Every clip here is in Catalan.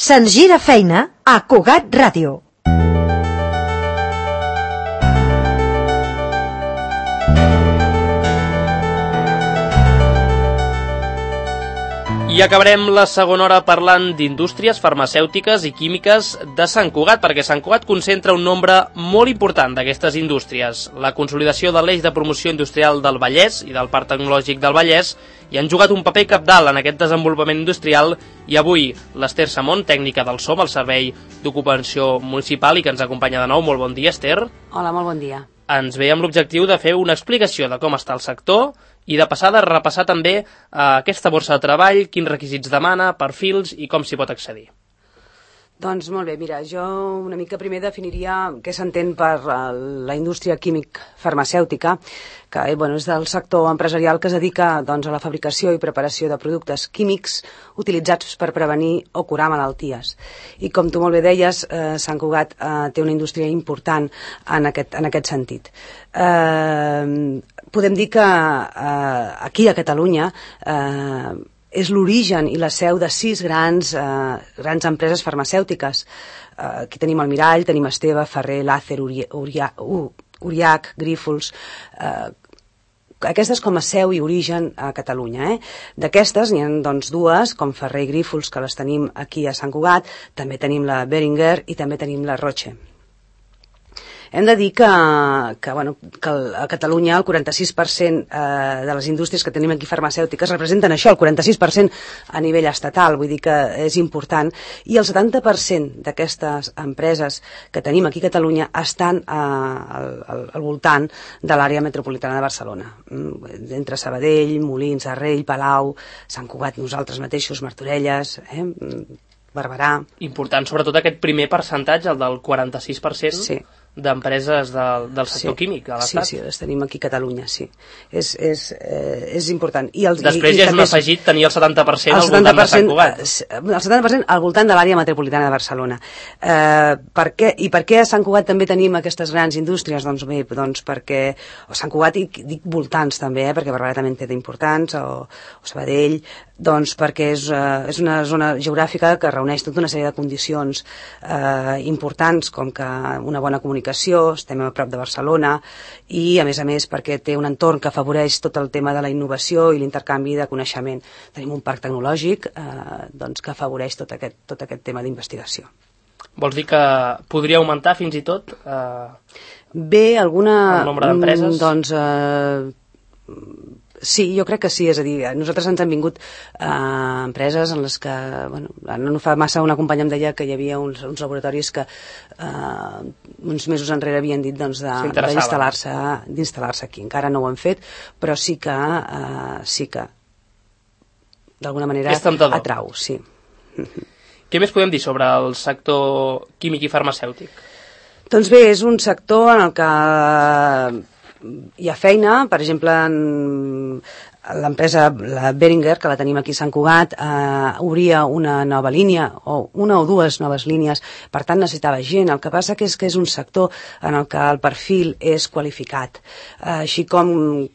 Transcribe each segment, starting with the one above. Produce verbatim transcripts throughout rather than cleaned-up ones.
Se'ns gira feina a Cugat Ràdio. I acabarem la segona hora parlant d'indústries farmacèutiques i químiques de Sant Cugat, perquè Sant Cugat concentra un nombre molt important d'aquestes indústries. La consolidació de l'eix de promoció industrial del Vallès i del Parc Tecnològic del Vallès hi han jugat un paper cabdal en aquest desenvolupament industrial, i avui l'Ester Samón, tècnica del SOM, el Servei d'Ocupació Municipal, i que ens acompanya de nou. Molt bon dia, Ester. Hola, molt bon dia. Ens ve amb l'objectiu de fer una explicació de com està el sector i de passar de repassar també eh, aquesta borsa de treball, quins requisits demana, perfils i com s'hi pot accedir. Doncs molt bé, mira, jo una mica primer definiria què s'entén per la indústria químic-farmacèutica, que eh, bueno, és del sector empresarial que es dedica doncs, a la fabricació i preparació de productes químics utilitzats per prevenir o curar malalties. I com tu molt bé deies, eh, Sant Cugat eh, té una indústria important en aquest, en aquest sentit. Eh, podem dir que eh, aquí a Catalunya eh, és l'origen i la seu de sis grans, eh, grans empreses farmacèutiques. Eh, aquí tenim Almirall, tenim Esteve, Ferrer, Làcer, Uri, Urià, uh, Uriach, Grífols. Eh, aquestes com a seu i origen a Catalunya. Eh? D'aquestes n'hi ha doncs, dues, com Ferrer i Grífols, que les tenim aquí a Sant Cugat. També tenim la Beringer i també tenim la Roche. Hem de dir que, que, bueno, que a Catalunya el quaranta-sis per cent eh, de les indústries que tenim aquí farmacèutiques representen això, el quaranta-sis per cent a nivell estatal, vull dir que és important, i el setanta per cent d'aquestes empreses que tenim aquí a Catalunya estan eh, al, al, al voltant de l'àrea metropolitana de Barcelona, entre Sabadell, Molins, Arrell, Palau, Sant Cugat, nosaltres mateixos, Martorelles, eh, Barberà. Important, sobretot aquest primer percentatge, el del quaranta-sis per cent. Sí. D'empreses del, del sector sí. químic a l'Estat. Sí, sí, les tenim aquí a Catalunya, sí. És, és, eh, és important. I els, Després i, ja i és un afegit tenir el setanta per cent al voltant de Sant Cugat. El setanta per cent al voltant de l'àrea metropolitana de Barcelona. Eh, per què, I per què a Sant Cugat també tenim aquestes grans indústries? Doncs bé, doncs perquè o Sant Cugat, i dic voltants també, eh, perquè Barberà també en té d'importants, o, o Sabadell, doncs perquè és, eh, és una zona geogràfica que reuneix tota una sèrie de condicions eh, importants, com que una bona comunicació, estem a prop de Barcelona, i a més a més perquè té un entorn que afavoreix tot el tema de la innovació i l'intercanvi de coneixement. Tenim un parc tecnològic eh, doncs, que afavoreix tot aquest, tot aquest tema d'investigació. Vols dir que podria augmentar fins i tot eh, Bé, alguna, el nombre d'empreses? Doncs eh, sí, jo crec que sí, és a dir, nosaltres ens han vingut eh, empreses en les que, bueno, no fa massa una companya em deia que hi havia uns, uns laboratoris que eh, uns mesos enrere havien dit doncs, d'instal·lar-se d'instal·lar-se aquí. Encara no ho han fet, però sí que eh, sí que d'alguna manera atrau, sí. Què més podem dir sobre el sector químic i farmacèutic? Doncs bé, és un sector en el que hi ha feina, per exemple, en l'empresa, la Beringer, que la tenim aquí a Sant Cugat, eh, obria una nova línia, o una o dues noves línies, per tant necessitava gent. El que passa que és que és un sector en el que el perfil és qualificat. Eh, així com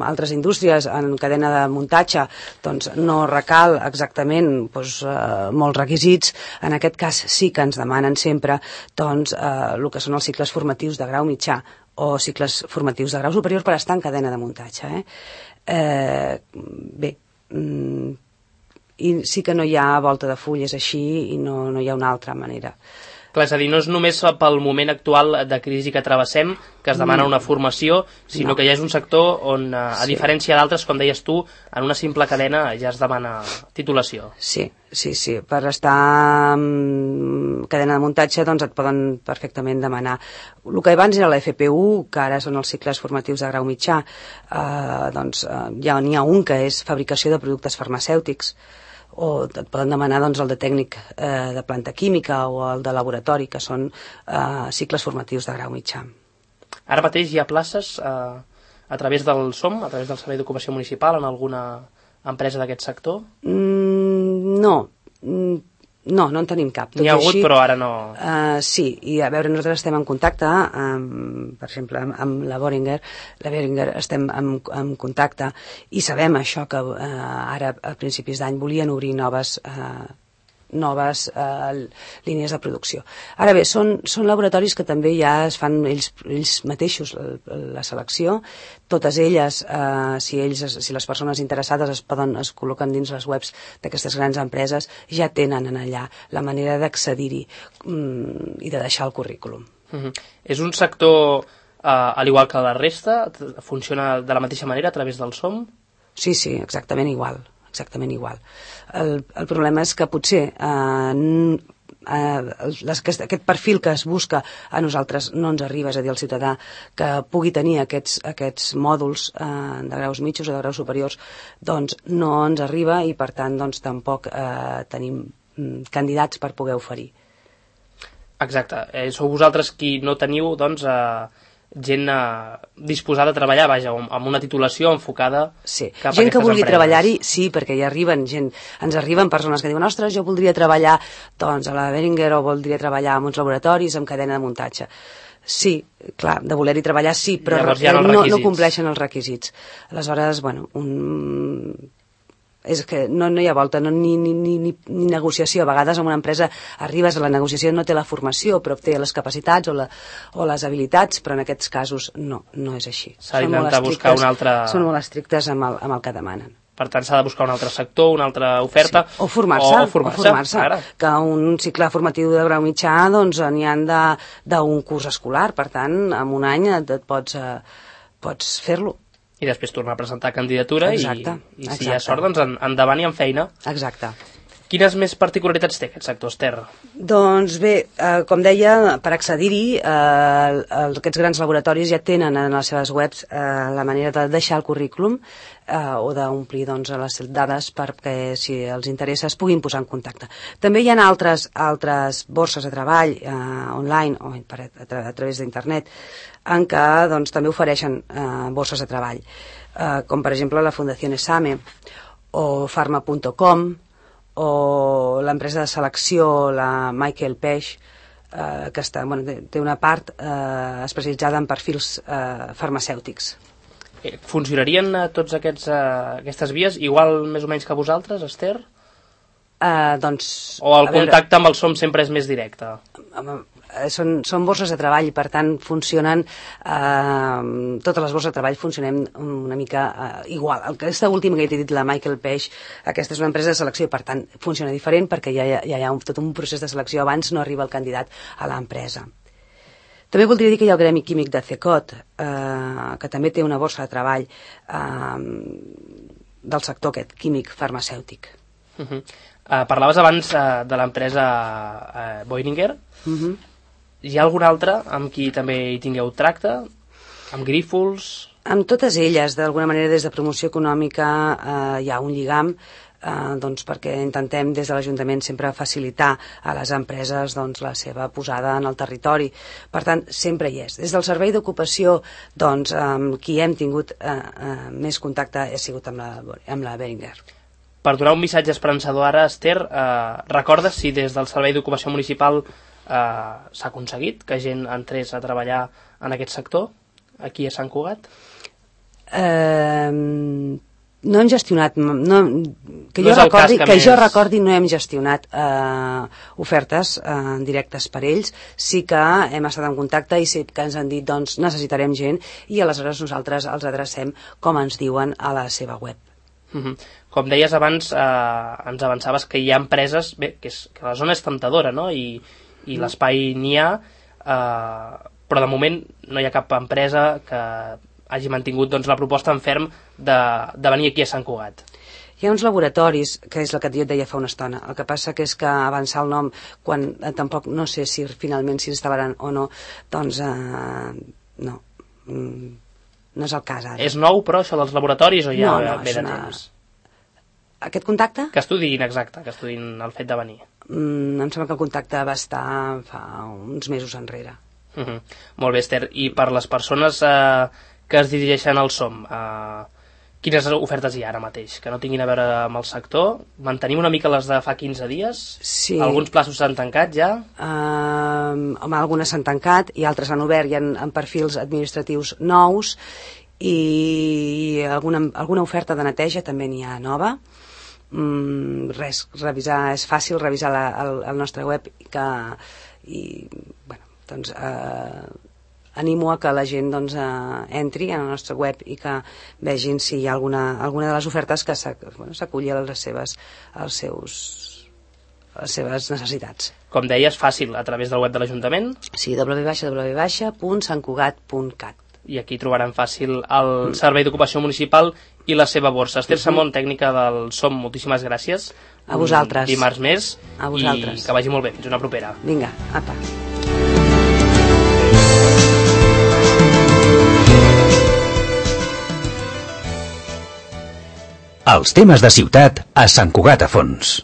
altres indústries en cadena de muntatge, doncs no recal exactament doncs, eh, molts requisits. En aquest cas sí que ens demanen sempre doncs, eh, el que són els cicles formatius de grau mitjà, o cicles formatius de grau superior per estar en cadena de muntatge. Eh? Eh, bé, mm, i sí que no hi ha volta de full, és així, i no, no hi ha una altra manera. Clar, és a dir, no és només pel moment actual de crisi que travessem que es demana una formació, sinó no. que ja és un sector on, a sí. diferència d'altres, com deies tu, en una simple cadena ja es demana titulació. Sí, sí, sí. Per estar en cadena de muntatge doncs et poden perfectament demanar. El que abans era la F P U, que ara són els cicles formatius de grau mitjà, eh, doncs eh, ja n'hi ha un que és fabricació de productes farmacèutics, o et poden demanar doncs, el de tècnic eh, de planta química o el de laboratori, que són eh, cicles formatius de grau mitjà. Ara mateix hi ha places eh, a través del SOM, a través del Servei d'Ocupació Municipal, en alguna empresa d'aquest sector? Mm, no, mm, no, no en tenim cap. N'hi ha hagut, així, però ara no... Uh, sí, i a veure, nosaltres estem en contacte, amb, per exemple, amb, amb la Beringer, la Beringer estem en, en contacte, i sabem això, que uh, ara a principis d'any volien obrir noves uh, noves eh, línies de producció. Ara bé, són, són laboratoris que també ja es fan ells, ells mateixos la, la selecció, totes elles, eh, si ells, si les persones interessades es poden, es col·loquen dins les webs d'aquestes grans empreses, ja tenen en allà la manera d'accedir-hi mm, i de deixar el currículum. Uh-huh. És un sector, eh, al igual que la resta, funciona de la mateixa manera a través del S O M? Sí, sí, exactament igual, exactament igual. El, el problema és que potser eh, eh, les, aquest, aquest perfil que es busca a nosaltres no ens arriba, és a dir, el ciutadà que pugui tenir aquests, aquests mòduls eh, de graus mitjos o de graus superiors, doncs no ens arriba i per tant doncs, tampoc eh, tenim mm, candidats per poder oferir. Exacte, eh, sou vosaltres qui no teniu doncs, eh, gent eh, disposada a treballar, vaja, amb una titulació enfocada sí. cap a gent que vulgui empreses. treballar-hi, sí, perquè hi arriben gent, ens arriben persones que diuen, ostres, jo voldria treballar doncs, a la Behringer o voldria treballar en uns laboratoris amb cadena de muntatge. Sí, clar, de voler-hi treballar sí, però no, no compleixen els requisits. Aleshores, bueno, un... és que no, no hi ha volta, no, ni, ni, ni, ni negociació. A vegades en una empresa arribes a la negociació, no té la formació, però té les capacitats o, la, o les habilitats, però en aquests casos no, no és així. S'ha d'intentar buscar un altre... Són molt estrictes amb el, amb el que demanen. Per tant, s'ha de buscar un altre sector, una altra oferta... Sí. O formar-se, o formar-se, o formar-se que un cicle formatiu de grau mitjà doncs n'hi han d'un curs escolar, per tant, en un any et, et pots, eh, pots fer-lo. I després tornar a presentar candidatura exacte, i, i si exacte. hi ha sort, doncs en, endavant i en feina. Exacte. Quines més particularitats té aquest sector, Esther? Doncs bé, eh, com deia, per accedir-hi, eh, aquests grans laboratoris ja tenen en les seves webs eh, la manera de deixar el currículum eh, o d'omplir doncs, les dades perquè, si els interessa, es puguin posar en contacte. També hi ha altres, altres borses de treball eh, online o per, a, tra a través d'internet en què doncs, també ofereixen eh, borses de treball, eh, com per exemple la Fundació Esame o Farma punt com o l'empresa de selecció, la Michael Page, eh, que està, bueno, té una part eh, especialitzada en perfils eh, farmacèutics. Funcionarien eh, tots aquests, eh, aquestes vies igual més o menys que vosaltres, Esther? Eh, doncs, o el contacte veure, amb el S O M sempre és més directe? Són, són borses de treball, per tant funcionen eh, totes les borses de treball funcionem una mica eh, igual. Aquesta última que he dit, la Michael Page, aquesta és una empresa de selecció i per tant funciona diferent perquè ja, ja, ja hi ha un, tot un procés de selecció abans no arriba el candidat a l'empresa. També voldria dir que hi ha el Gremi Químic de CECOT, eh, que també té una borsa de treball eh, del sector aquest, químic farmacèutic. Uh -huh. uh, parlaves abans uh, de l'empresa uh, Behringer. Uh -huh. Hi ha algun altre amb qui també hi tingueu tracte? Amb Grífols? Amb totes elles, d'alguna manera, des de promoció econòmica eh, hi ha un lligam eh, doncs perquè intentem des de l'Ajuntament sempre facilitar a les empreses doncs, la seva posada en el territori. Per tant, sempre hi és. Des del Servei d'Ocupació, doncs, amb qui hem tingut eh, eh, més contacte ha sigut amb la, amb la Behringer. Per donar un missatge esperançador ara, Esther, eh, recordes si des del Servei d'Ocupació Municipal Uh, s'ha aconseguit que gent entrés a treballar en aquest sector aquí a Sant Cugat? Uh, no hem gestionat no, que, no jo recordi, que, que més... jo recordi no hem gestionat uh, ofertes uh, directes per ells. Sí que hem estat en contacte i sí que ens han dit doncs necessitarem gent i aleshores nosaltres els adrecem com ens diuen a la seva web. Uh-huh. Com deies abans, eh, ens avançaves que hi ha empreses, bé, que, és, que la zona és tentadora, no? I i l'espai n'hi ha, eh, però de moment no hi ha cap empresa que hagi mantingut doncs, la proposta en ferm de, de venir aquí a Sant Cugat. Hi ha uns laboratoris, que és el que jo et deia fa una estona, el que passa que és que avançar el nom, quan eh, tampoc no sé si finalment s'instal·laran o no, doncs eh, no, mm, no és el cas ara. És nou, però, això dels laboratoris, o ja no, no, ve de una... temps? Aquest contacte? Que estudin, exacte, que estudin el fet de venir. Mm, em sembla que el contacte va estar fa uns mesos enrere. Uh -huh. Molt bé, Esther. I per les persones eh, que es dirigeixen al S O M, eh, quines ofertes hi ha ara mateix? Que no tinguin a veure amb el sector? Mantenim una mica les de fa quinze dies? Sí. Alguns plaços s'han tancat ja? Uh, home, algunes s'han tancat i altres han obert i en, en perfils administratius nous i alguna, alguna oferta de neteja també n'hi ha nova. mm, res, revisar, és fàcil revisar la, el, el nostre web i que, i, bueno, doncs, eh, animo a que la gent doncs, eh, entri en el nostre web i que vegin si hi ha alguna, alguna de les ofertes que s'aculli bueno, a les seves, als seus, a les seves necessitats. Com deies, fàcil, a través del web de l'Ajuntament? Sí, w w w punt sant cugat punt cat. I aquí trobaran fàcil el Servei d'Ocupació Municipal i la seva borsa. Esther Samón, tècnica del S O M, moltíssimes gràcies. A vosaltres. Un dimarts més. A vosaltres. I que vagi molt bé. Fins una propera. Vinga, apa. Els temes de ciutat a Sant Cugat a Fons.